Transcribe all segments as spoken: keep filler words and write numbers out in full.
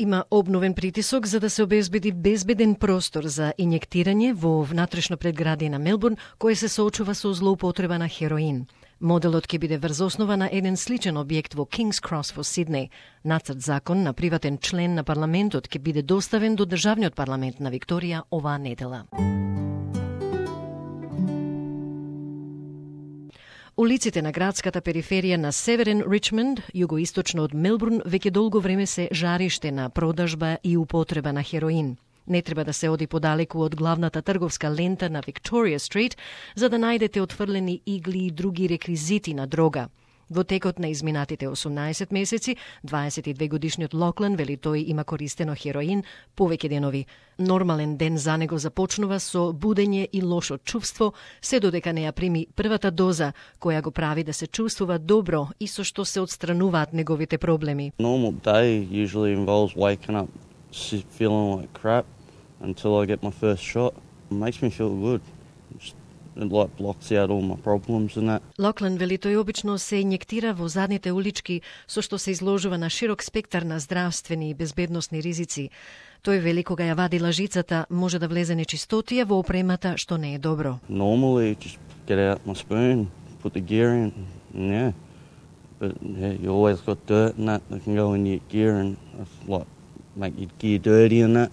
Има обновен притисок за да се обезбеди безбеден простор за инјектирање во внатрешно предградие на Мелбурн, кое се соочува со злоупотреба на хероин. Моделот ќе биде врз основа на еден сличен објект во King's Cross во Сиднеј. Нацрт закон на приватен член на парламентот ќе биде доставен до државниот парламент на Викторија оваа недела. Улиците на градската периферија на Северен Ричмонд, југоисточно од Мелбурн, веќе долго време се жариште на продажба и употреба на хероин. Не треба да се оди подалеку од главната трговска лента на Victoria Street за да најдете отфрлени игли и други реквизити на дрога. Во текот на изминатите осумнаесет месеци, дваесет и две годишниот Локлан вели тој има користено хероин повеќе денови. Нормален ден за него започнува со будење и лошо чувство, се додека не ја прими првата доза, која го прави да се чувствува добро и со што се отстрануваат неговите проблеми. Normal day usually involves waking up feeling like crap until I get my first shot. It makes me feel good. It like blocks out all my problems and that. Локлан вели тој обично се инјектира во задните улички, со што се изложува на широк спектар на здравствени и безбедносни ризици. Тој вели кога ја вади лажицата, може да влезе нечистотија во опремата, што не е добро. Normally just get out my spoon, put the gear in, and yeah. But yeah, you always got dirt and that that can go in your gear and like make your gear dirty and that.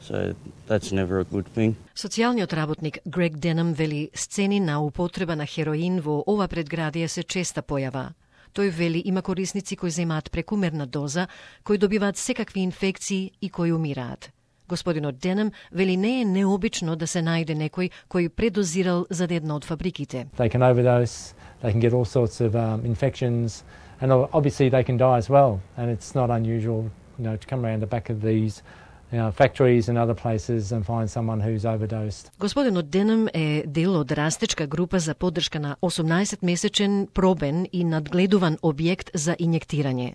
So that's never a good thing. Социјалниот работник Грег Денам вели сцени на употреба на хероин во ова предградие се честа појава. Тој вели има корисници кои земаат прекумерна доза, кои добиваат секакви инфекции и кои умираат. Господинот Денам вели не е необично да се најде некој кој предозирал за една од фабриките. They can overdose, they can get all sorts of um, infections, and obviously they can die as well. And it's not unusual, you know, to come around the back of these You know, factories and other places and find someone who's overdosed. Господинот Денам е дел од растечка група за поддршка на осумнаесет-месечен пробен и надгледуван објект за инјектирање.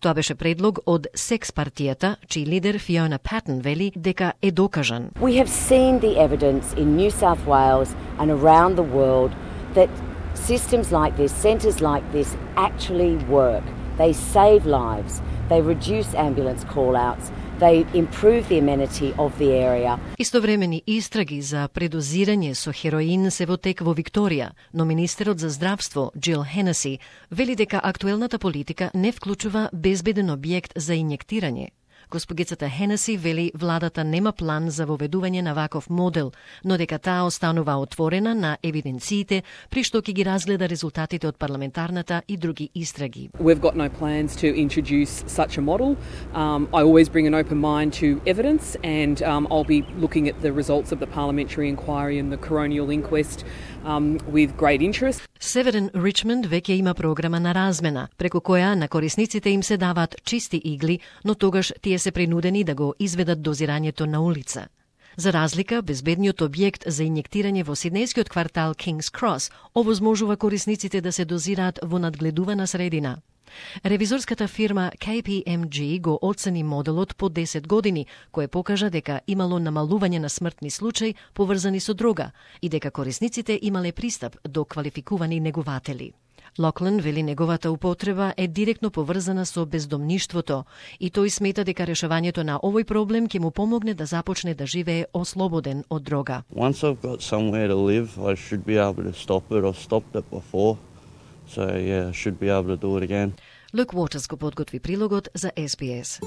Тоа беше предлог од секс партијата, чиј лидер Фиона Патен вели дека е докажан. We have seen the evidence in New South Wales and around the world that systems like this, centres like this actually work. They save lives, they reduce ambulance call-outs, they improve the amenity of the area. Истовремени истраги за предозирање со хероин се во тек во Викторија, но министерот за здравство Джил Хенеси вели дека актуелната политика не вклучува безбеден објект за инјектирање. Госпогицата Хенеси вели владата нема план за воведување на ваков модел, но дека таа останува отворена на евиденциите при што ќе ги разгледа резултатите од парламентарната и други истраги. We've got no plans to introduce such a model. Um, I always bring an open mind to evidence and um, I'll be looking at the results of the parliamentary inquiry and the coronial inquest um, with great interest. Северен Ричмонд веќе има програма на размена, преку која на корисниците им се даваат чисти игли, но тогаш тие се принудени да го изведат дозирањето на улица. За разлика, безбедниот објект за инјектирање во сиднејскиот квартал King's Cross овозможува корисниците да се дозираат во надгледувана средина. Ревизорската фирма K P M G го оцени моделот по десет години, кое покажа дека имало намалување на смртни случаи поврзани со дрога и дека корисниците имале пристап до квалификувани негуватели. Локлан вели неговата употреба е директно поврзана со бездомништвото и тој смета дека решавањето на овој проблем ќе му помогне да започне да живее ослободен од дрога. Once I've got somewhere to live, I should be able to stop it. I've stopped it before. So yeah, I should be able to do it again. Luke Waters го подготви прилогот за S B S.